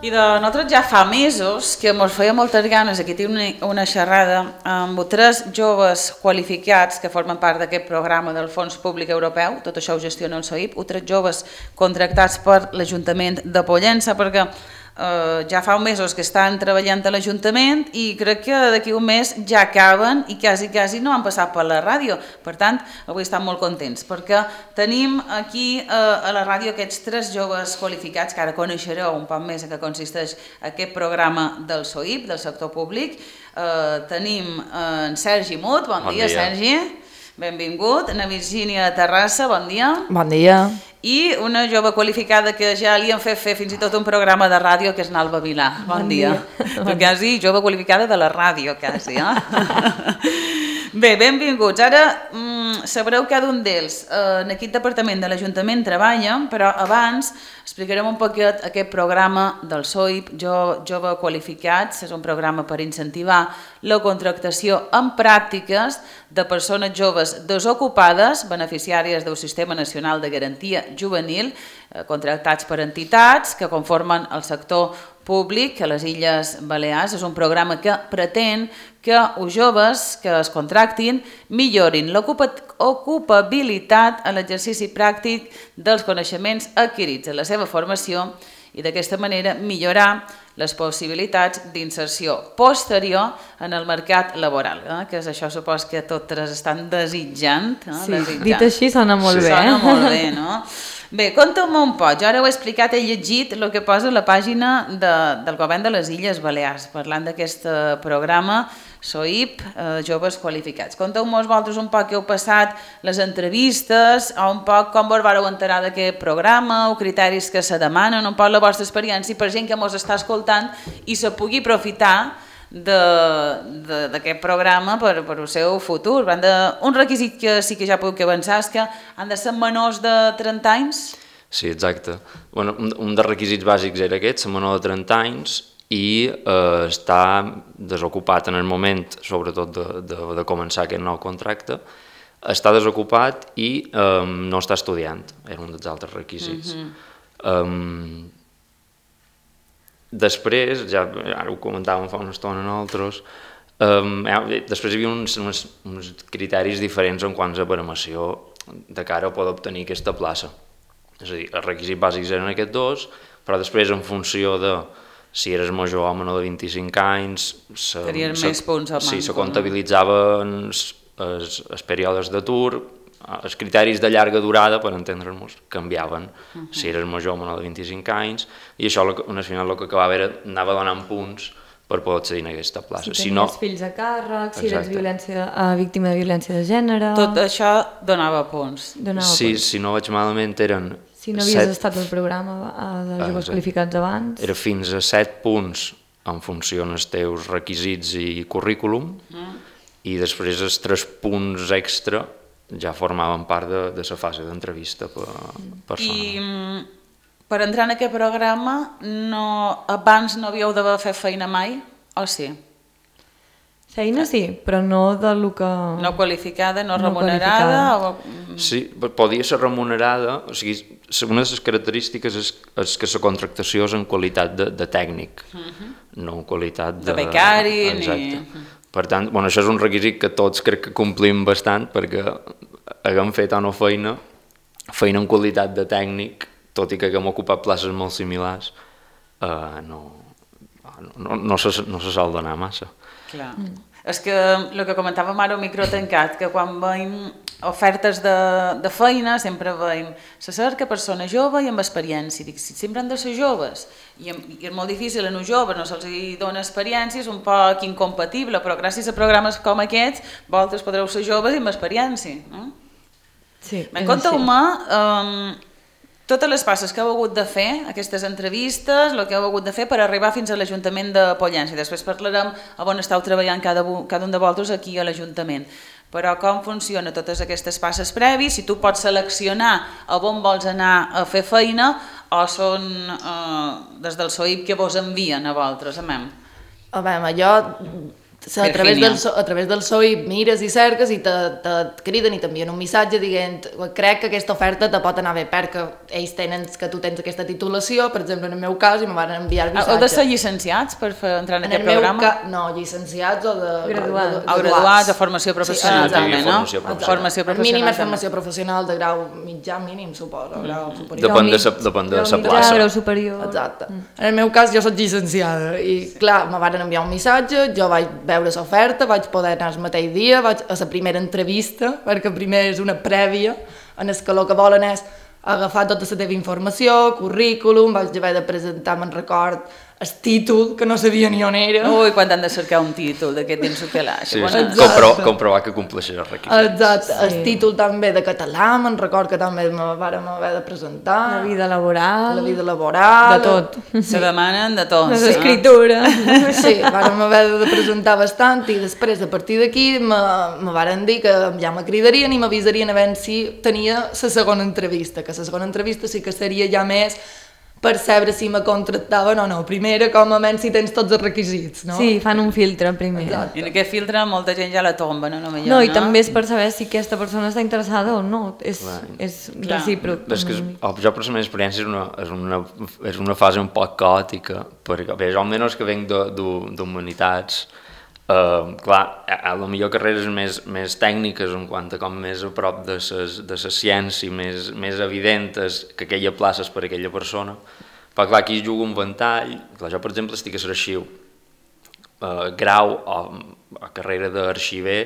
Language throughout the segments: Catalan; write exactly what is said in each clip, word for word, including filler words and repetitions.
I de nosaltres ja fa mesos que ens feia moltes ganes, aquí tinc una, una xerrada amb tres joves qualificats que formen part d'aquest programa del Fons Públic Europeu, tot això ho gestiona el S O I P, tres joves contractats per l'Ajuntament de Pollença, perquè eh, ja fa mesos que estan treballant a l'Ajuntament i crec que d'aquí un mes ja acaben i quasi, quasi no han passat per la ràdio. Per tant, avui estan molt contents perquè tenim aquí eh, a la ràdio aquests tres joves qualificats que ara coneixereu un poc més en què consisteix aquest programa del S O I P, del sector públic. Eh, tenim eh, en Sergi Mut, bon, bon dia, dia Sergi, benvingut, na Virgínia Terrassa, bon dia. Bon dia. I una jove qualificada que ja li han fet fer fins i tot un programa de ràdio, que és Nalba Vilà. Bon, bon dia. dia. Tu quasi jove qualificada de la ràdio, quasi, eh? Bé, benvinguts. Ara mm, sabreu cada un d'ells. Eh, en aquest departament de l'Ajuntament treballen, però abans explicarem un poquet aquest programa del S O I P, jo, Jove Qualificats. És un programa per incentivar la contractació en pràctiques de persones joves desocupades, beneficiàries del Sistema Nacional de Garantia Juvenil, eh, contractats per entitats que conformen el sector públic a les Illes Balears. És un programa que pretén que els joves que es contractin millorin l'ocupabilitat a l'exercici pràctic dels coneixements adquirits en la seva formació i d'aquesta manera millorar les possibilitats d'inserció posterior en el mercat laboral, eh? Que és això, supos que totes estan desitjant. Eh? Sí, desitjant. Dit així sona molt sí, bé. Sona molt bé, no? Bé, conta'm un poc, jo ara ho he explicat, he llegit el que posa a la pàgina de, del Govern de les Illes Balears, parlant d'aquest programa S O I P, eh, Joves Qualificats. Conteu-nos vosaltres un poc què heu passat, les entrevistes, o un poc com vos vareu enterar d'aquest programa, o criteris que se demanen, un poc la vostra experiència per gent que mos està escoltant i se pugui aprofitar d'aquest programa per, per el seu futur. De, un requisit que sí que ja puc avançar és que han de ser menors de trenta anys? Sí, exacte. Bueno, un, un dels requisits bàsics era aquest, ser menor de trenta anys i eh, estar desocupat en el moment, sobretot de, de, de començar aquest nou contracte, estar desocupat i eh, no estar estudiant, era un dels altres requisits. Mm-hmm. um, Després, ja ara ho comentàvem fa una estona nosaltres, um, després hi havia uns, uns, uns criteris diferents en quant a baremació de cara a poder obtenir aquesta plaça. És a dir, els requisits bàsics eren aquests dos, però després en funció de si eres major o menor de vint-i-cinc anys, se, tenien se, més punts al manco, sí, se comptabilitzaven els, els, els períodes d'atur, els criteris de llarga durada, per entendre'ns, canviaven, uh-huh. Si eres major o menor de vint-i-cinc anys, i això al final el que acabava era anava donant punts per poder accedir a aquesta plaça. Si tenies si no, fills a càrrec, si eres violència, uh, víctima de violència de gènere... Tot això donava punts. Donava sí, punts. Si no vaig malament eren... Si no havies set... estat al programa de joves qualificats abans... Era fins a set punts en funció dels teus requisits i currículum, uh-huh. I després els tres punts extra ja formaven part de, de la fase d'entrevista per persona. I per entrar en aquest programa, no, abans no havíeu d'haver fet feina mai, o sí? Feina sí, però no de lo que... No qualificada, no, no remunerada? O... Sí, podia ser remunerada, o sigui, una de les característiques és, és que la contractació és en qualitat de, de tècnic, uh-huh. No en qualitat de... De becari, exacte. Ni... Per tant, bueno, això és un requisit que tots crec que complim bastant perquè haguem fet o no feina, feina en qualitat de tècnic, tot i que haguem ocupat places molt similars, eh, no, no, no, se, no se sol donar massa. Clar. Mm. És que el que comentàvem ara al micro tancat, que quan veiem ofertes de, de feina sempre veiem se cerca persona jove i amb experiència. Dic, sempre han de ser joves i, i és molt difícil a uns joves, no se'ls dona experiència, és un poc incompatible, però gràcies a programes com aquests vosaltres podreu ser joves i amb experiència, no? Sí, en conteu-me um, totes les passes que heu hagut de fer, aquestes entrevistes, el que heu hagut de fer per arribar fins a l'Ajuntament de Pollença. Després parlarem a on esteu treballant cada, cada un de vosaltres aquí a l'Ajuntament. Però com funcionen totes aquestes passes previs, si tu pots seleccionar a on vols anar a fer feina o són eh, des del S O I P que vos envien a vosaltres, amem? A veure, jo a través, del, a través del S O I mires i cerques i te, te criden i t'envien un missatge dient crec que aquesta oferta te pot anar bé perquè ells tenen que tu tens aquesta titulació, per exemple en el meu cas, i me van enviar el missatge. Heu de ser llicenciats per fer, entrar en, en aquest programa? Ca... No, llicenciats o de... Graduats. O graduats o formació professional, sí, també, no? Formació professional. Formació professional. Mínim és formació professional de grau mitjà, mínim, suposo, grau superior. Depèn de sa, depèn de sa plaça. Grau superior. Exacte. En el meu cas jo soc llicenciada i clar, me van enviar un missatge, jo vaig veure l'oferta, vaig poder anar el mateix dia, vaig a la primera entrevista, perquè primer és una prèvia, en el que el que volen és agafar tota la teva informació, currículum, vaig haver de presentar, me'n record, el títol, que no sabia ni on era. Ui, quan han de cercar un títol d'aquest dins el calaix. Sí, Bona... sí. Compro, comprovar que compleixes els requisits. Exacte, Sí. el títol també de català, me'n record que també me vàrem haver de presentar. La vida laboral. La vida laboral. De tot. Se demanen de tot. Les eh? escritures. Sí, vàrem haver de presentar bastant i després, a partir d'aquí, me, me varen dir que ja me cridarien i m'avisarien a veure si tenia la segona entrevista, que la segona entrevista sí que seria ja més per saber si me contractaven o no. Primera, com a menys si tens tots els requisits, no? Sí, fan un filtre primer. Exacte. I en aquest filtre molta gent ja la tomba, no? No, millor, No, i no? també és per saber si aquesta persona està interessada o no. És, és Clar. recíproc. És que és, jo per la meva experiència és una, és una, és una fase un poc caòtica, perquè bé, jo almenys que venc d'humanitats, Uh, clar, a, a la millor carreres més, més tècniques en quant a com més a prop de ses, de la ciència, més, més evidentes que aquella plaça és per a aquella persona, però clar, aquí es juga un ventall. Clar, jo per exemple estic a l'arxiu, uh, grau o, o carrera d'arxiver,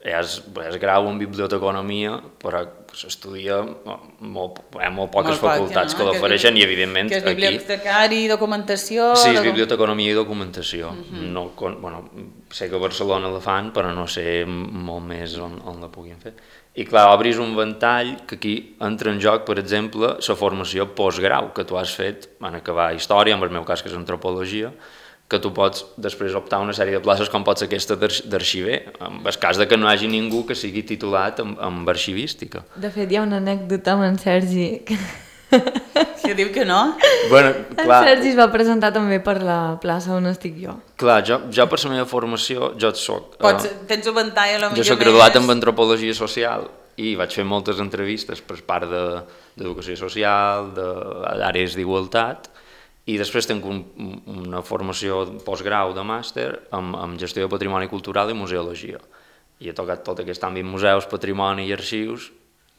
és, és grau en biblioteconomia, però s'estudia molt, hi ha molt poques Molt poc, facultats no? que l'ofereixen i evidentment que és aquí... bibliotecari, documentació... Sí, és de... biblioteconomia i documentació. Uh -huh. no, con, bueno, sé que a Barcelona la fan, però no sé molt més on, on la puguin fer. I clar, obris un ventall que aquí entra en joc, per exemple, la formació postgrau que tu has fet en acabar història, en el meu cas que és antropologia, que tu pots després optar una sèrie de places com pot ser aquesta d'arxiver, en el cas de que no hi hagi ningú que sigui titulat en, en arxivística. De fet, hi ha una anècdota amb en Sergi. Que... Que diu que no? Bueno, clar, En Sergi es va presentar també per la plaça on estic jo. clar jo, jo per la meva formació, jo soc... Pots, eh, tens un ventall a lo Jo millor soc graduat més... en antropologia social i vaig fer moltes entrevistes per part d'educació de, social, d'àrees d'igualtat, i després tinc un, una formació postgrau de màster amb, amb gestió de patrimoni cultural i museologia. I he tocat tot aquest àmbit museus, patrimoni i arxius.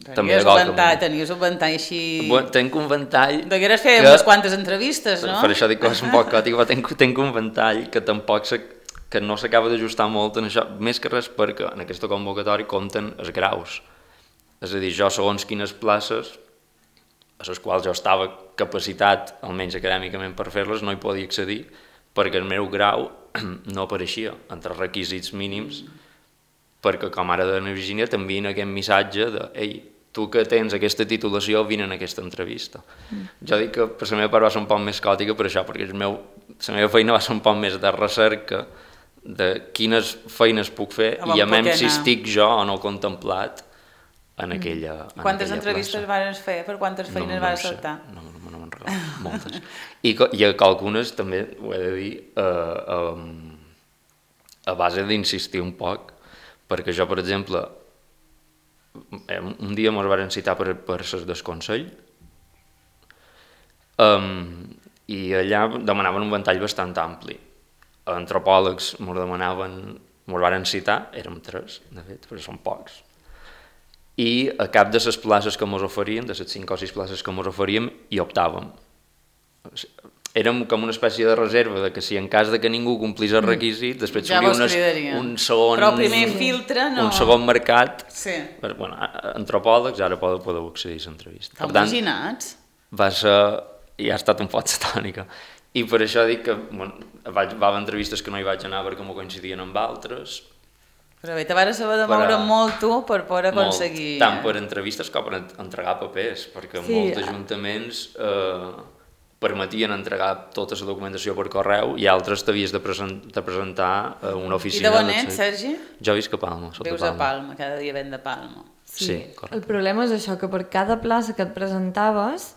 Tenies un ventall, tenies un ventall així... Bueno, tenc un ventall... Degueres fer que, unes quantes entrevistes, no? Per això dic que és un poc còtic, però tenc, tenc un ventall que tampoc se, que no s'acaba d'ajustar molt en això, més que res perquè en aquesta convocatòria compten els graus. És a dir, jo segons quines places a les quals jo estava capacitat, almenys acadèmicament per fer-les, no hi podia accedir perquè el meu grau no apareixia entre els requisits mínims, perquè com ara de la Virgínia t'envien aquest missatge de ei, tu que tens aquesta titulació vine en aquesta entrevista. Mm. Jo dic que per la meva part va ser un poc més caòtica per això, perquè el meu, la meva feina va ser un poc més de recerca de quines feines puc fer i a menys si estic jo o no contemplat en aquella, en quantes aquella entrevistes vas fer? Per quantes feines no, vas no saltar? No, no, no me'n recordo, moltes. I, I a algunes també, ho he de dir, uh, um, a base d'insistir un poc, perquè jo, per exemple, un dia mos varen citar per, per ses del Consell um, i allà demanaven un ventall bastant ampli. Antropòlegs mos demanaven, mos varen citar, érem tres, de fet, però són pocs, i a cap de les places que ens oferien, de les cinc o sis places que ens oferíem, hi optàvem. Érem com una espècie de reserva, de que si en cas de que ningú complís el requisit, després ja s'obria un segon... Però el primer filtre no... Un segon mercat. Sí. Per, bueno, antropòlegs ara podeu, podeu accedir a l'entrevista. T'ho imaginats? Va ser... Ja ha estat un pot satònica. I per això dic que bueno, vaig, va haver entrevistes que no hi vaig anar perquè m'ho coincidien amb altres. Però bé, te vas saber de moure a... molt tu per poder aconseguir... Molt, tant per entrevistes com per entregar papers, perquè sí, molts ajuntaments eh, permetien entregar tota la documentació per correu i altres t'havies de, present, de presentar a una oficina... I de on ets, Sergi? Jo visc a Palma, sota Vius Palma. a Palma, cada dia ven de Palma. Sí, sí, correcte. El problema és això, que per cada plaça que et presentaves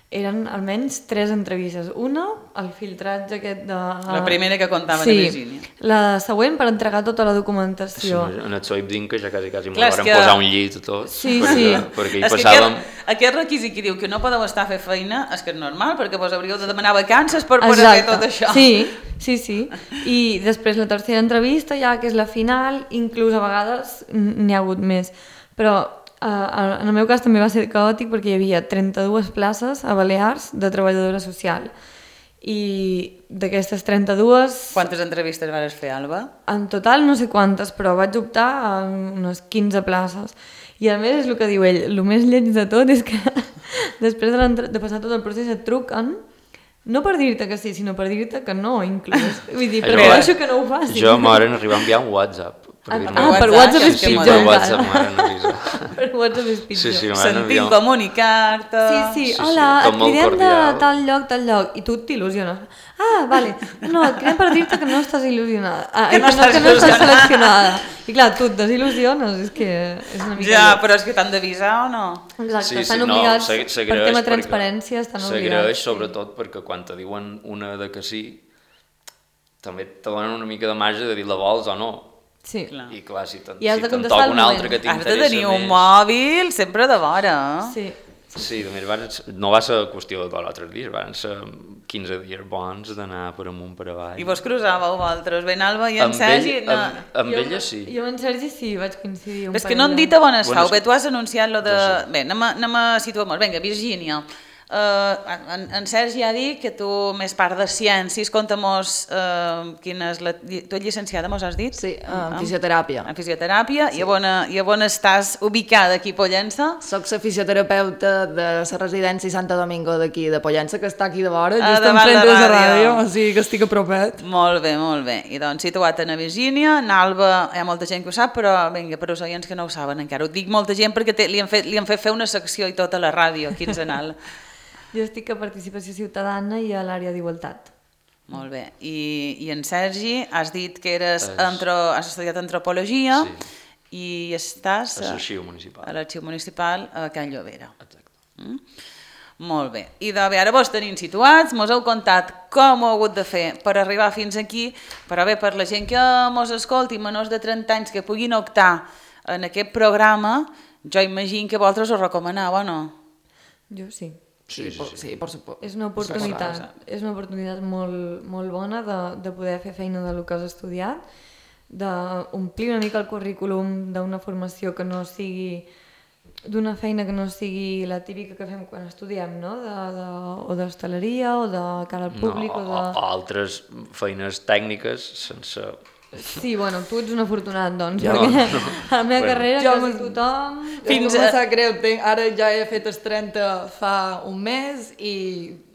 eren almenys tres entrevistes. Una, el filtratge aquest de... La primera que contava sí. de Virgínia. La següent per entregar tota la Sí, documentació. en el Soip Din que ja quasi quasi m'ho Clar, és varen que- posar un llit i tot, Sí, perquè, sí. perquè hi És que passàvem... aquest, aquest requisit que diu que no podeu estar a fer feina és que és normal, perquè vos hauríeu de demanar vacances per poder fer tot això. Sí, sí, sí. I després la tercera entrevista, ja que és la final, inclús a vegades n'hi ha hagut més. Però Uh, en el meu cas també va ser caòtic perquè hi havia trenta-dues places a Balears de treballadora social i d'aquestes trenta-dues Quantes entrevistes vas fer, Alba? en total no sé quantes, però vaig optar a unes quinze places i a més és el que diu ell, el més lleig de tot és que després de, de passar tot el procés et truquen no per dir-te que sí, sinó per dir-te que no inclús, vull dir, prefereixo que no ho facis. Jo m'hauran arribat a enviar un WhatsApp. Ah, dir-me- ah, per WhatsApp, WhatsApp que és és que pitjor per m'agrada. WhatsApp encara. m'han avisat. Per WhatsApp és pitjor. Sí, sí, m'han Sentim enviat... comunicar-te... Sí, sí, Sí, sí, hola, tot et molt cridem de cordial. tal lloc, tal lloc, i tu t'il·lusiones. Ah, vale, no, et cridem per dir-te que no estàs il·lusionada, ah, Que no estàs que no estàs il·lusionada. seleccionada. I clar, tu et desil·lusiones, és que és una mica... Ja, lleig. però és que t'han d'avisar o no? Exacte, estan obligats, s'ag- per s'agraeix tema perquè- transparència, estan obligats. S'agraeix sobretot perquè quan te diuen una de que sí, també te donen una mica de marge de dir la vols o no. Sí. Clar. I clar, si te'n I has si de te'n contestar toca al un altre moment. que Has de t'interessa tenir un més... mòbil sempre de vora. Sí. Sí, només van, no va ser qüestió de dos o tres dies, van ser quinze dies bons d'anar per amunt, per avall. I vos cruzàveu vosaltres, ben Alba i en Amb Sergi... ell- no. amb, amb Jo- ella sí. Jo amb Sergi sí, vaig coincidir un És que parell no hem de- dit a bones Bueno, fau, és bé, tu has anunciat lo de... Ja sé. Bé, anem a, anem a situar-nos. Vinga, Virgínia, uh, en, en Sergi ha dit que tu, més part de ciències, conta'm-nos uh, quina és la... Tu ets llicenciada, mos has dit? Sí, en fisioteràpia. En fisioteràpia, sí. i, a on, i a on estàs ubicada aquí a Pollença? Soc la fisioterapeuta de la residència Santo Domingo d'aquí, de Pollença, que està aquí de vora, Ah, just davant enfront la de la ràdio. ràdio, o sigui que estic a propet. Molt bé, molt bé. I doncs situat a Virgínia, en Alba, hi ha molta gent que ho sap, però vinga, per als oients que no ho saben encara. Ho dic molta gent perquè té, li, han fet, li han fet fer una secció i tot a la ràdio quinzenal. Jo estic a Participació Ciutadana i a l'àrea d'Igualtat. Molt bé. I, I en Sergi, has dit que eres És- antro, has estudiat antropologia Sí. i estàs A a, l'arxiu municipal. a l'arxiu municipal a Can Llobera. Exacte. Mm? Molt bé. I de bé, ara vos tenim situats, mos heu contat com ho heu hagut de fer per arribar fins aquí, però bé, per la gent que mos escolti, menors de trenta anys, que puguin optar en aquest programa, jo imagino que vosaltres ho recomaneu, o no? Jo sí. Sí, sí, por, sí. sí, por supuesto. És una oportunitat, és una oportunitat molt, molt bona de, de poder fer feina del que has estudiat, d'omplir una mica el currículum d'una formació que no sigui d'una feina que no sigui la típica que fem quan estudiem, no? De, de, o d'hostaleria o de cara al públic no, o o, de... o altres feines tècniques sense... Sí, bueno, tu ets un afortunat, doncs, Jo, perquè no. a la meva Bueno. carrera Jo quasi me- tothom... Fins Fins a... a- em sap greu, tenc, ara ja he fet els trenta fa un mes i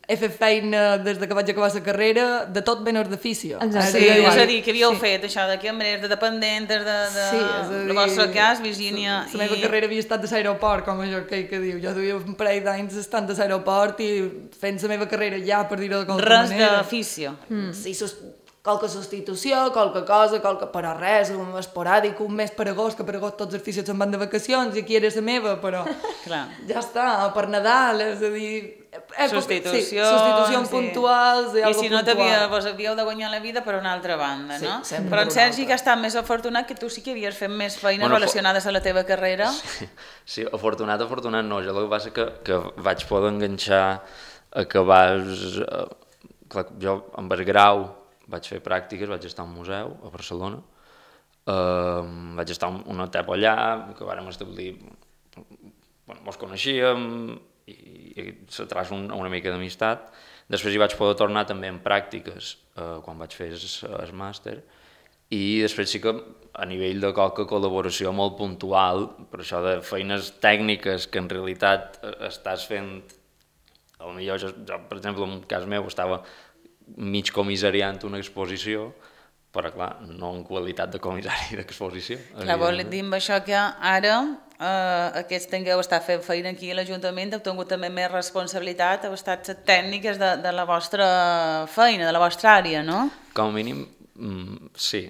he fet feina des de que vaig acabar la carrera de tot menys d'ofici. Exacte. Sí, jo és igual. a dir, que havíeu Sí. fet això de cambrers, de dependents, de, de... Sí, és a dir... el vostre cas, Virgínia... La meva carrera havia estat de l'aeroport, com allò que, que diu. Jo duia un parell d'anys estant a l'aeroport i fent la meva carrera ja, per dir-ho de qualque Res manera. d'oficio. Mm. Sí, sus... qualque substitució, qualque cosa, qualque... però res, un esporàdic, un mes per agost, que per agost tots els fills se'n van de vacacions i aquí era la meva, però Clar. ja està, per Nadal, és a dir... Època, Substitucions, sí, substitucions sí. puntuals i, I algo si no puntual. t'havia, vos havíeu de guanyar la vida per una altra banda, Sí, no? sempre Però per en una Sergi, altra. que està més afortunat, que tu sí que havies fet més feines Bueno, relacionades a la teva carrera. Sí, afortunat, afortunat no. Jo el que passa que, que vaig poder enganxar a que vas... Eh, clar, jo amb el grau vaig fer pràctiques, vaig estar a un museu a Barcelona, eh, vaig estar un- una etapa allà, que vàrem establir... Bueno, mos coneixíem i, i se traç un, una mica d'amistat. Després hi vaig poder tornar també en pràctiques eh, quan vaig fer el màster i després sí que a nivell de qualque col·laboració molt puntual, per això de feines tècniques que en realitat eh, estàs fent, potser jo, jo, per exemple, en un cas meu estava mig comissariant una exposició, però clar, no en qualitat de comissari d'exposició. Clar, vol evidentment. dir amb això que ara eh, aquests tingueu estat fent feina aquí a l'Ajuntament, heu tingut també més responsabilitat, heu estat les tècniques de, de la vostra feina, de la vostra àrea, no? Com a mínim, mm, sí.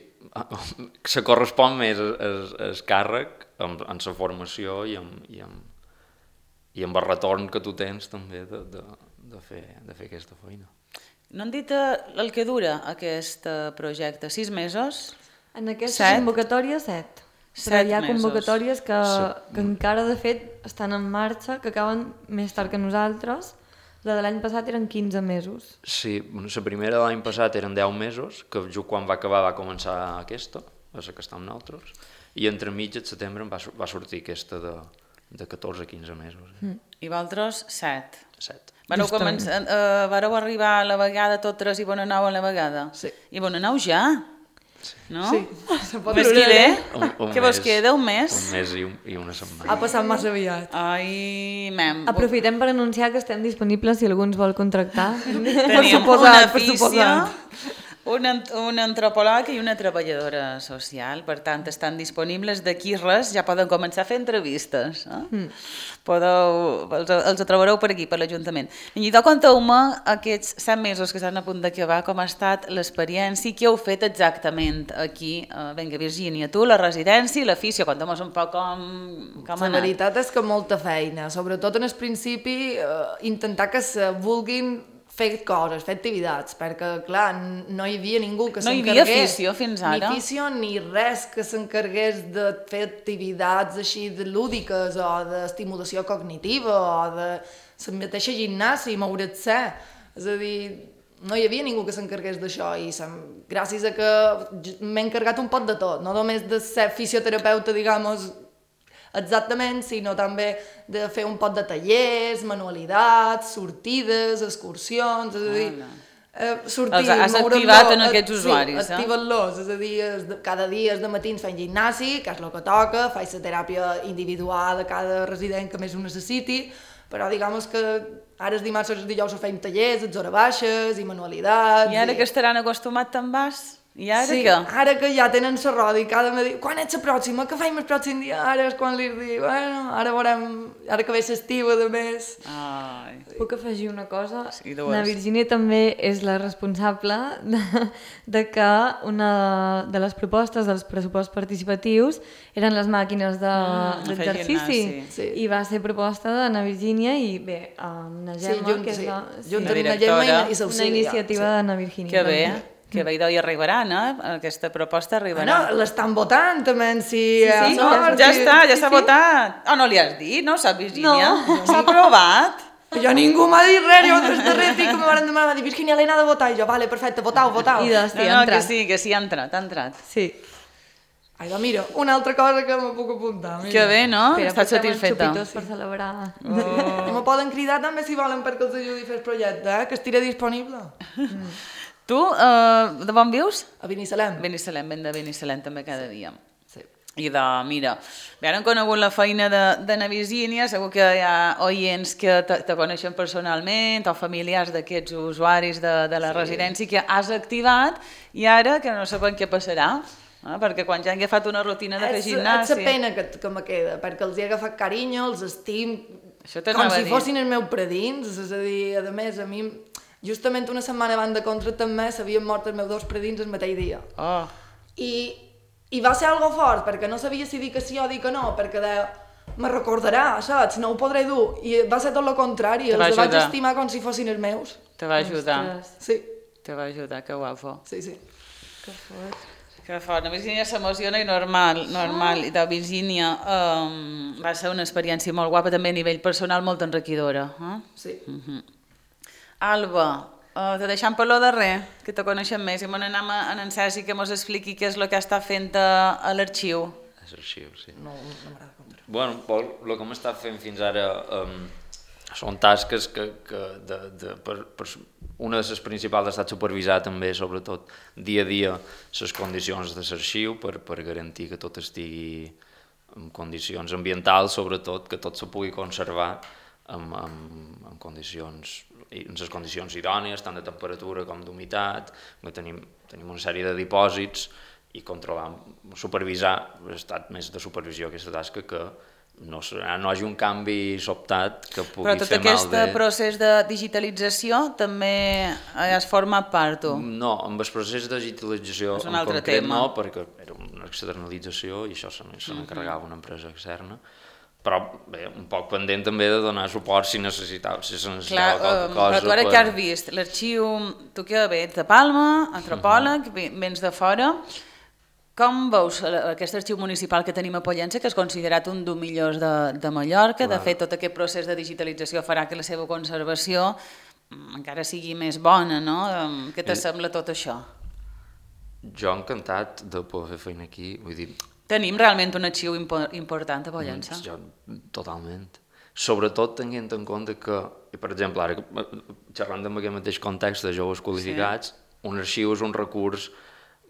Se correspon més el càrrec en, en la formació i amb, i, amb, i amb el retorn que tu tens també de, de, de, fer, de fer aquesta feina. No han dit el que dura aquest projecte? Sis mesos? En aquesta Set? convocatòria, set. Però Set hi ha mesos. convocatòries que, Sí. que encara, de fet, estan en marxa, que acaben més tard que nosaltres. La de l'any passat eren quinze mesos. Sí, bueno, la primera de l'any passat eren deu mesos, que just quan va acabar va començar aquesta, la que està amb nosaltres, i entremig, al setembre, va, va sortir aquesta de, de catorze a quinze mesos. Eh? Mm. I vosaltres, set. Set. Vareu, Justament. començar, uh, vareu arribar a la vegada totes i bona nau a la vegada? Sí. I bona nau ja? No? Sí, se pot Més dir. que bé? Un, un Què vos mes, queda, un mes? Un mes i, un, i una setmana. Ha passat massa aviat. Ai, mem. Aprofitem per anunciar que estem disponibles si algú ens vol contractar. Tenim suposat, una per físia, suposat. un, ant- un antropòleg i una treballadora social. Per tant, estan disponibles d'aquí res, ja poden començar a fer entrevistes. Eh? Mm. Podeu, els, els trobareu per aquí, per l'Ajuntament. I de conteu-me aquests set mesos que estan a punt d'acabar, com ha estat l'experiència i què heu fet exactament aquí. Uh, vinga, Virgínia, tu, la residència i l'afició, conta'm un poc com, com ha La anat. veritat és que molta feina, sobretot en el principi eh, intentar que se vulguin fer coses, fer activitats, perquè clar, n- no hi havia ningú que No hi s'encarregués. havia afició fins ara? Ni afició ni res que s'encarregués de fer activitats així de lúdiques o d'estimulació cognitiva o de la mateixa gimnàsia i moure't-se. És a dir, no hi havia ningú que s'encarregués d'això i sem- gràcies a que j- m'he encarregat un pot de tot, no només de ser fisioterapeuta, digamos, exactament, sinó també de fer un pot de tallers, manualitats, sortides, excursions, és a dir, eh, sortir, Els has moure'm-lo, activat en eh, aquests usuaris, sí, eh? activa't-los, és a dir, es de- cada dia de matins fent gimnàs,i que és el que toca, faig la teràpia individual a cada resident que més ho necessiti, però digamos que ara els dimarts i els dijous fem tallers, els hores baixes i manualitats. I ara que estaran acostumats te'n vas? I ara sí, què? ara que ja tenen la roda i cada me diu, quan ets la pròxima? Què faim el pròxim dia? Ara és quan li dic, bueno, ara veurem, ara que ve l'estiu, a més. Ai. Puc afegir una cosa? Sí, dues. La Virgínia també és la responsable de, de que una de les propostes dels pressuposts participatius eren les màquines de- Mm, fer d'exercici. gimnàs, sí. I va ser proposta de na Virgínia i bé, amb na Gemma, junt, que és sí. la, Junt La amb la directora. Gemma i, i una l'auxiliar, iniciativa sí. de na Virgínia. Que bé, també. que bé, i arribaran, eh? Aquesta proposta arribarà. Bueno, l'estan votant també, si... sí, eh, no, sort, ja i- està, ja sí, s'ha sí. votat. Oh, no li has dit, no sap, Virgínia? No. S'ha aprovat. Jo ningú m'ha dit res, jo des de res, que me van demanar, va dir, Virginia, l'he anat a votar, i jo, vale, perfecte, votau, votau. I de, sí, No, ha no, que entrat. sí, que sí, ha entrat, ha entrat. Sí. Ai, va, mira, una altra cosa que me puc apuntar. Mira. Que bé, no? Espera, Estàs portem els satisfeta. xupitos per celebrar. Oh. I me poden cridar també si volen perquè els ajudi a fer el projecte, eh? Que estiré disponible. Tu, uh, de on vius? A Binissalem. Binissalem, ben de Binissalem també cada dia. Sí. I de, mira, bé, ara hem conegut la feina de, de na Virgínia, segur que hi ha oients que te, te coneixen personalment o familiars d'aquests usuaris de, de la sí. residència que has activat i ara que no sabem què passarà, eh? Perquè quan ja han agafat una rutina de fer És, és gimnàsia... la pena que, que me queda, perquè els he agafat carinyo, els estim Això com t'anava a si dir. fossin els meus predins, és a dir, a més, a mi, justament una setmana abans de contractar amb mi s'havien mort els meus dos predins el mateix dia. Oh, I, i va ser algo fort, perquè no sabia si dir que sí o dir que no, perquè deia, me recordarà, saps? No ho podré dur. I va ser tot el contrari, Te va els vaig ajudar. estimar com si fossin els meus. te va ajudar, Ostres, Sí, te va ajudar, que guapo. sí, sí. que fort. Que fort, la Virgínia s'emociona i normal, normal. I de Virgínia um, va ser una experiència molt guapa, també a nivell personal molt enriquidora. Eh? Sí. Uh-huh. Alba, uh, te deixem per lo darrer, que te coneixem més, i me n'anem a en Sergi que mos expliqui què és el que està fent a, a l'arxiu. És l'arxiu, sí. No, no m'agrada contar. Bueno, Pol, el que hem estat fent fins ara um, són tasques que, que de, de, per, per, una de les principals ha estat supervisar també, sobretot, dia a dia, les condicions de l'arxiu per, per garantir que tot estigui en condicions ambientals, sobretot, que tot se pugui conservar en, en, en condicions en les condicions idònies, tant de temperatura com d'humitat, que tenim, tenim una sèrie de dipòsits i controlar, supervisar, ha estat més de supervisió aquesta tasca que no, no hi hagi un canvi sobtat que pugui Però tot fer mal aquest de... procés de digitalització també has format part, tu? No, amb el procés de digitalització És un en altre concret tema. no, perquè era una externalització i això se n'encarregava una empresa externa. però bé, un poc pendent també de donar suport si necessitava, si se necessitava Clar, qualque um, cosa. però tu ara per... que has vist l'arxiu, tu que ve de Palma, antropòleg, uh -huh. vens de fora, com veus aquest arxiu municipal que tenim a Pollença, que és considerat un dels millors de, de Mallorca? Clar. De fet, tot aquest procés de digitalització farà que la seva conservació encara sigui més bona, no? Què t'assembla tot això? Jo encantat de poder fer feina aquí, vull dir... Tenim realment un arxiu impo important a Pollença? Jo, totalment. Sobretot tenint en compte que, per exemple, ara xerrant amb aquest mateix context de joves qualificats, sí. Un arxiu és un recurs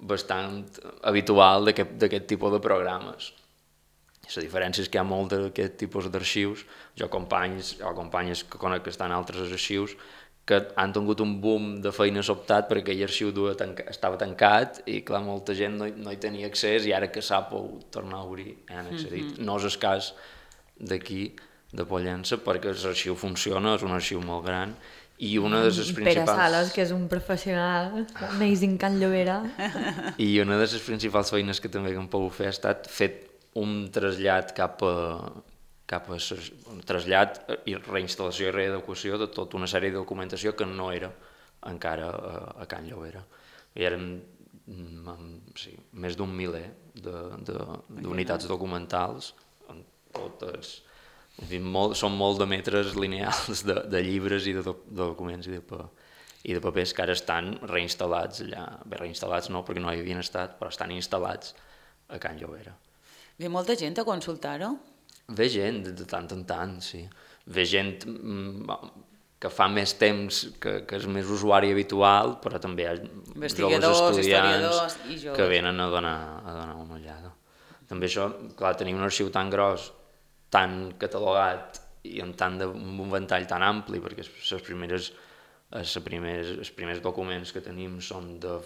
bastant habitual d'aquest tipus de programes. La diferència és que hi ha molt d'aquest tipus d'arxius. Jo companys o companyes que conec que estan en altres arxius que han tingut un boom de feina sobtat perquè aquell arxiu tanca, estava tancat i clar, molta gent no hi, no hi tenia accés i ara que s'ha pogut tornar a obrir han accedit. Mm -hmm. No és el cas d'aquí, de Pollença, perquè l'arxiu funciona, és un arxiu molt gran i una de les principals... Pere Sales, que és un professional, amazing Can Llobera. I una de les principals feines que també hem pogut fer ha estat fet un trasllat cap a cap a un trasllat i reinstal·lació i readequació de tota una sèrie de documentació que no era encara a, a Can Llobera. Hi eren sí, més d'un miler d'unitats documentals, totes, en fi, molt, són molt de metres lineals de, de llibres i de, do, de documents i de, i de papers que ara estan reinstal·lats allà. Bé, reinstal·lats no, perquè no hi havien estat, però estan instal·lats a Can Llobera. Ve molta gent a consultar-ho? Ve gent de tant en tant, sí. Ve gent que fa més temps, que, que és més usuari habitual, però també hi ha joves estudiants i joves. Que venen a donar, a donar una ullada. També això, clar, tenir un arxiu tan gros, tan catalogat i amb tant de, un ventall tan ampli, perquè les primeres, les primers, els primers documents que tenim són de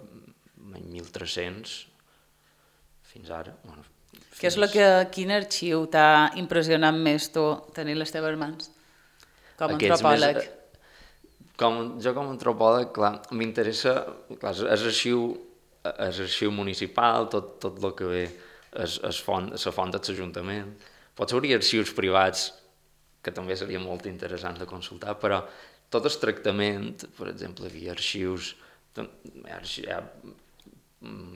mil tres-cents fins ara. Bueno, fins... Què és el que, quin arxiu t'ha impressionat més tu tenir les teves mans com a antropòleg? Més, com, jo com a antropòleg, clar, m'interessa, clar, és arxiu, és arxiu municipal, tot, tot el que ve és, és font, la font de l'Ajuntament. Potser hauria arxius privats, que també seria molt interessant de consultar, però tot el tractament, per exemple, hi havia arxius, hi ha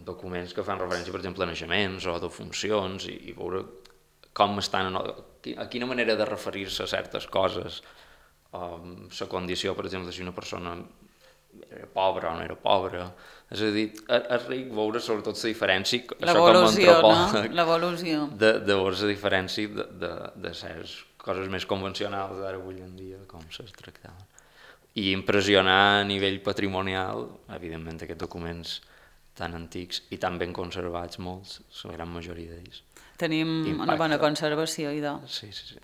documents que fan referència, per exemple, a naixements o de funcions, i, i veure com estan, a quina manera de referir-se a certes coses, la condició, per exemple, si una persona era pobra o no era pobra. És a dir, és ric veure sobretot la diferència, això com a antropòleg, l'evolució, de, de veure la diferència de, de, de certes coses més convencionals d'ara avui en dia, com se'ls tractaven. I impressionar a nivell patrimonial, evidentment, aquests documents tan antics i tan ben conservats molts, la gran majoria d'ells. Tenim Impacte. Una bona conservació, idò. Sí, sí, sí.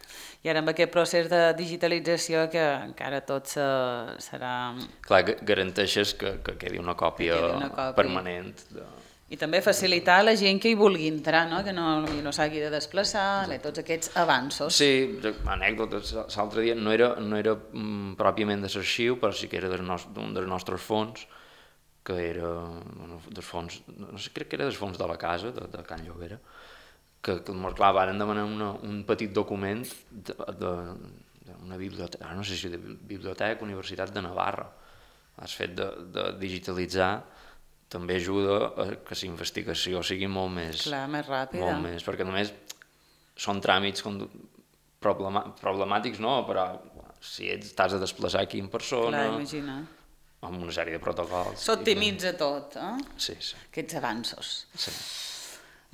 I ara amb aquest procés de digitalització que encara tot se, serà... Clar, garanteixes que, que quedi una còpia, quedi una còpia. permanent. De... I també facilitar a la gent que hi vulgui entrar, no? Que no, no s'hagi de desplaçar, bé, tots aquests avanços. Sí, anècdotes, l'altre dia no era, no era mm, pròpiament de l'arxiu, però sí que era d'un dels nostres fons, que era bueno, dels fons, no sé, crec que era dels fons de la casa, de, de Can Llobera, que, que molt clar, van demanar una, un petit document d'una biblioteca, no sé si de Biblioteca Universitat de Navarra. Has fet de, de digitalitzar també ajuda a que la investigació sigui molt més... Clar, més ràpida. Molt més, perquè només són tràmits problema, problemàtics, no, però si ets, t'has de desplaçar aquí en persona... Clar, imagina. Amb una sèrie de protocols. S'optimitza que... tot, eh? Sí, sí. Aquests avanços. Sí.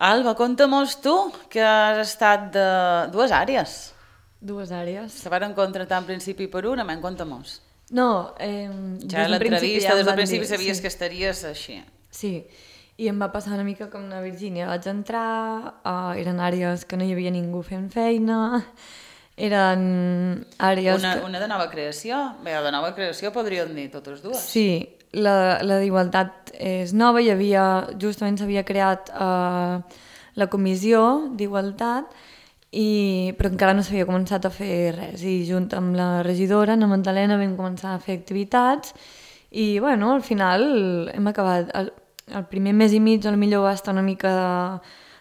Alba, conta-mos tu, que has estat de dues àrees. Dues àrees. Se van contratar en principi per una, men, conta-mos. No, eh, ja l'entrevista, des del principi sabies sí. que estaries així. Sí, i em va passar una mica com a Virgínia. Vaig entrar, uh, eren àrees que no hi havia ningú fent feina, eren àrees... Una, que... una de nova creació? Bé, de nova creació podríem dir totes dues. Sí, la, la d'igualtat és nova, hi havia, justament s'havia creat uh, la comissió d'igualtat, I, però encara no s'havia començat a fer res, i junt amb la regidora, Ana Magdalena, vam començar a fer activitats i bueno, al final hem acabat, el, el primer mes i mig potser va estar una mica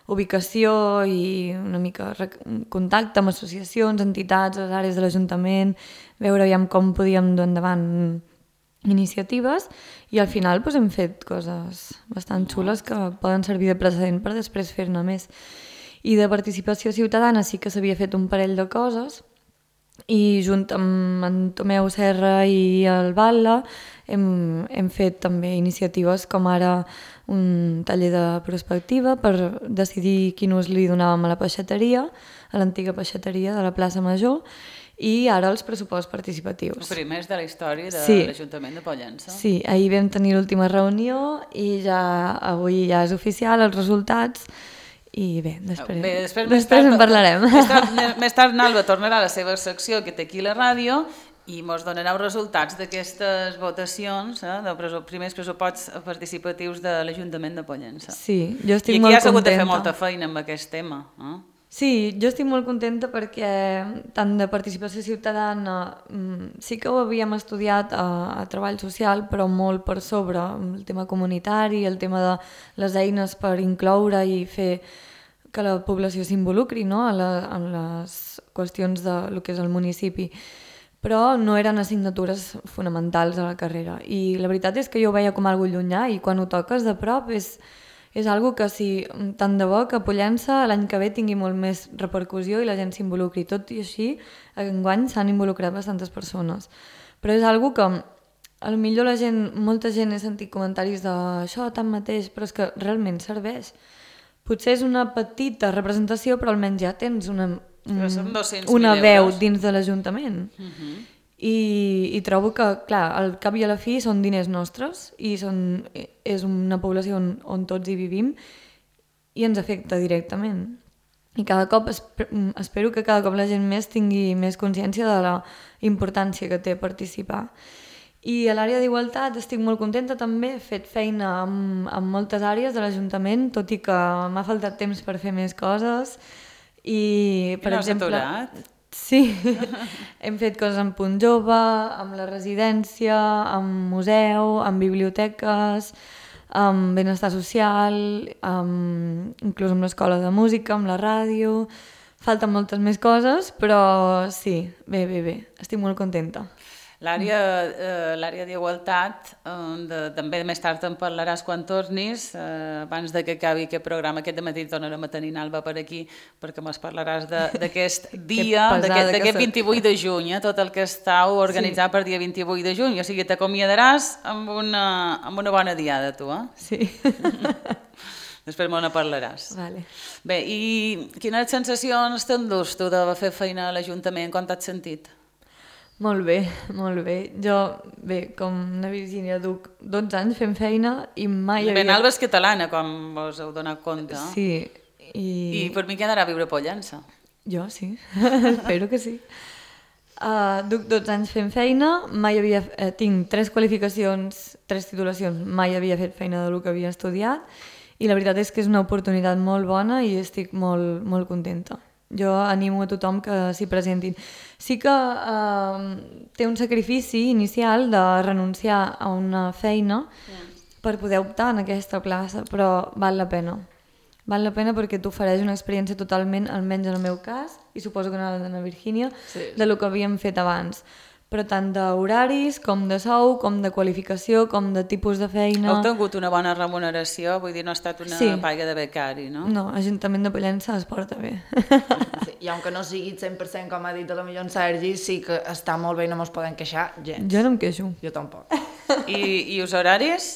ubicació i una mica contacte amb associacions, entitats, les àrees de l'Ajuntament, veure aviam com podíem dur endavant iniciatives i al final doncs, hem fet coses bastant xules que poden servir de precedent per després fer-ne més. I de participació ciutadana sí que s'havia fet un parell de coses i junt amb en Tomeu Serra i el Batlle hem, hem fet també iniciatives com ara un taller de prospectiva per decidir quin ús li donàvem a la peixateria, a l'antiga peixateria de la plaça Major, i ara els pressuposts participatius. Els primers de la història de sí. l'Ajuntament de Pollença. Sí, ahir vam tenir l'última reunió i ja avui ja és oficial els resultats. I bé, després, bé, després, després tard, en parlarem. Més tard, més tard Nalba tornarà a la seva secció que té aquí a la ràdio i ens donarà els resultats d'aquestes votacions, eh, dels primers pressuposts participatius de l'Ajuntament de Pollença. Sí, jo estic I molt contenta. I aquí has hagut de fer molta feina amb aquest tema. Eh? Sí, jo estic molt contenta perquè tant de participació ciutadana sí que ho havíem estudiat a, a treball social, però molt per sobre el tema comunitari, el tema de les eines per incloure i fer que la població s'involucri, no? en, la, en les qüestions de lo que és el municipi. Però no eren assignatures fonamentals a la carrera. I la veritat és que jo ho veia com algo llunyà i quan ho toques de prop és, és algo que si tant de bo que Pollença l'any que ve tingui molt més repercussió i la gent s'involucri. Tot i així, enguany s'han involucrat bastantes persones. Però és algo que a lo millor la gent, molta gent he sentit comentaris d'això tanmateix, però és que realment serveix. Potser és una petita representació, però almenys ja tens una, una veu dins de l'Ajuntament. Uh-huh. I, I trobo que, clar, al cap i a la fi són diners nostres i són, és una població on, on tots hi vivim i ens afecta directament. I cada cop, espero que cada cop la gent més tingui més consciència de la importància que té participar. I a l'àrea d'igualtat estic molt contenta també, he fet feina amb, amb moltes àrees de l'Ajuntament, tot i que m'ha faltat temps per fer més coses. I, per I no exemple, has aturat? Sí, hem fet coses amb Punt Jove, amb la residència, amb museu, amb biblioteques, amb benestar social, amb, inclús amb l'escola de música, amb la ràdio. Falten moltes més coses, però sí, bé, bé, bé, estic molt contenta. L'àrea eh, l'àrea d'igualtat, eh, de, també més tard en parlaràs quan tornis, eh, abans de que acabi aquest programa. Aquest dematí tornarem a tenir Nalba per aquí, perquè ens parlaràs d'aquest dia, d'aquest vint-i-vuit de juny, eh, tot el que estàu organitzat sí. per dia vint-i-vuit de juny. O sigui, t'acomiadaràs amb una, amb una bona diada, tu, eh? Sí. Després me ne parlaràs. Vale. Bé, i quines sensacions t'endús tu de fer feina a l'Ajuntament? Com t'has sentit? Molt bé, molt bé. Jo, bé, com la Virgínia, duc dotze anys fent feina i mai havia... Bé, Nalba és catalana, com vos heu donat compte. Sí. I, I per mi quedarà a viure a Pollença. Jo sí, espero que sí. Uh, duc dotze anys fent feina, mai havia... Eh, tinc tres qualificacions, tres titulacions, mai havia fet feina del que havia estudiat i la veritat és que és una oportunitat molt bona i estic molt, molt contenta. Jo animo a tothom que s'hi presentin. Sí que eh, té un sacrifici inicial de renunciar a una feina yeah. per poder optar en aquesta plaça, però val la pena. Val la pena perquè t'ofereix una experiència totalment, almenys en el meu cas, i suposo que en la de la Virgínia, sí. de lo que havíem fet abans. Però tant d'horaris, com de sou, com de qualificació, com de tipus de feina... Heu tingut una bona remuneració? Vull dir, no ha estat una sí. paga de becari, no? No, l'Ajuntament de Pollença es porta bé. Sí, i aunque no sigui cent per cent com ha dit la millor en Sergi, sí que està molt bé i no mos podem queixar gens. Jo no em queixo. Jo tampoc. I, i els horaris?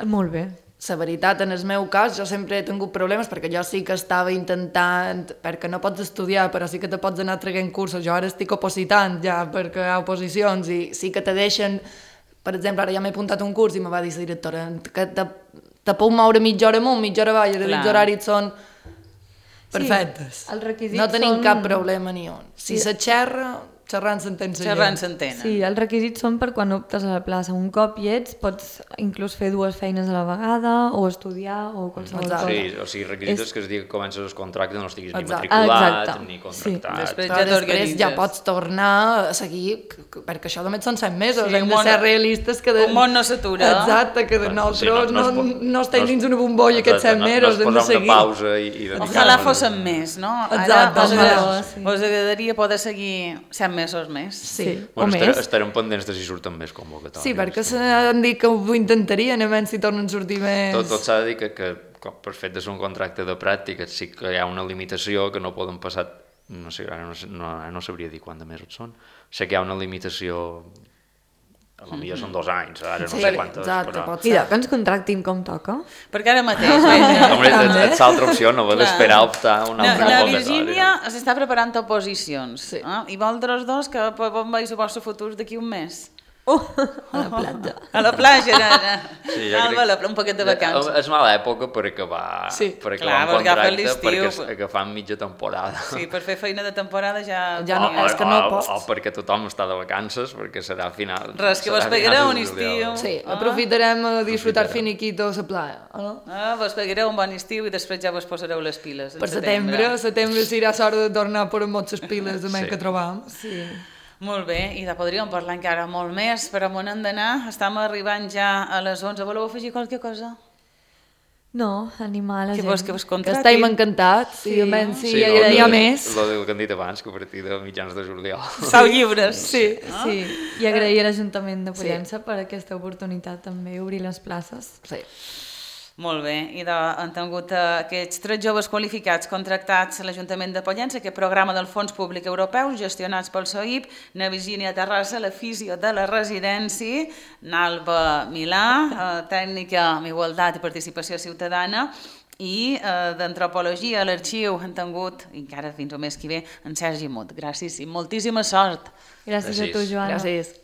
Molt bé. La veritat, en el meu cas, jo sempre he tingut problemes perquè jo sí que estava intentant, perquè no pots estudiar, però sí que te pots anar traient cursos. Jo ara estic opositant ja perquè hi ha oposicions i sí que te deixen... Per exemple, ara ja m'he apuntat un curs i me va dir la directora que te, te puc moure mitja hora amunt, mitja hora avall, els horaris són perfectes. Sí, els requisits no tenim són... cap problema ni on. Si sí. se xerra, xerrant s'entén la gent. Xerrant s'entenen. Sí, els requisits són per quan optes a la plaça. Un cop hi ets, pots inclús fer dues feines a la vegada, o estudiar, o qualsevol Exacte. cosa. Sí, o sigui, requisits És- que es digui que comences el contracte no estiguis ni Exacte. matriculat, Exacte. ni Sí. contractat. Després Però ja després t'organitzes. ja pots tornar a seguir, c- c- perquè això només són set mesos, Sí, hem un de món- ser realistes que... De... un món no s'atura. Exacte, que de Bueno, nosaltres sí, no, no- no no, es pot- no estem no es- dins una bombolla aquests set Exacte, no- mesos, no hem es de posar seguir. una pausa i, i dedicar-nos Ojalà a- fossin més, no? Exacte, Ara us, ojalà, sí. us agradaria poder seguir set mesos més. Sí, Sí. o Bueno, més. estarem, estarem pendents de si surten més convocatòries. Sí, perquè s'han dit que ho intentarien, a veure si tornen a sortir més... Tot, tot s'ha de dir que, que com per fet de ser un contracte de pràctiques sí que hi ha una limitació que no poden passar, no sé, ara no, sé- no, ara no sabria dir quant de mesos són, sé que hi ha una limitació, a lo millor són dos anys, ara no Sí, sé quantes, exacte, però... pot Mira, ser. que ens contractin com toca. Perquè ara mateix, veja, Hombre, et, et l'altra opció, no vol Clar. esperar a optar a una la, altra la convocatòria. Virgínia s'està preparant oposicions. Sí. Eh? I vosaltres dos, que on veus el vostre futur d'aquí un mes? Oh, a la platja. A la platja, nana. Sí, jo Alba, crec- la, un poquet de vacances. És mala època per acabar, Sí. per acabar Clar, un perquè agafa contracte, l'estiu, perquè però- agafant mitja temporada. Sí, per fer feina de temporada ja... Ja no- o, és que no o, pots. o perquè tothom està de vacances, perquè serà a final... Res, que serà vos a pegareu finals de un juliol. estiu. Sí, Ah. aprofitarem a disfrutar Aprofitarem. finiquito a la playa, no? Ah, vos pegareu un bon estiu i després ja vos posareu les piles. en Per setembre, a setembre serà l'hora de tornar a posar moltes piles de sí. Sí. que trobam. Sí. Molt bé, i de podríem parlar encara molt més, però on hem d'anar? Estem arribant ja a les onze. Voleu afegir qualque cosa? No, animar la Que gent. vos, que vos Que contratin? estem encantats, sí. i a menys si Sí, sí, lo hi ha de- més. Lo del que han dit abans, que a partir de mitjans de juliol. Sou lliures. Sí. Sí, i agrair a l'Ajuntament de Pollença per aquesta oportunitat també, obrir les places. Sí. Molt bé, i de, han tingut eh, aquests tres joves qualificats contractats a l'Ajuntament de Pollença, aquest programa del Fons Públic Europeu, gestionats pel S O I P, na Virgínia Terrassa, la fisio de la residència, n'Alba Milà, eh, tècnica en igualtat i participació ciutadana, i eh, d'antropologia a l'arxiu han tingut, i encara fins al mes que ve, en Sergi Mut. Gràcies i moltíssima sort. Gràcies, a tu, Gràcies. Joana. Gràcies.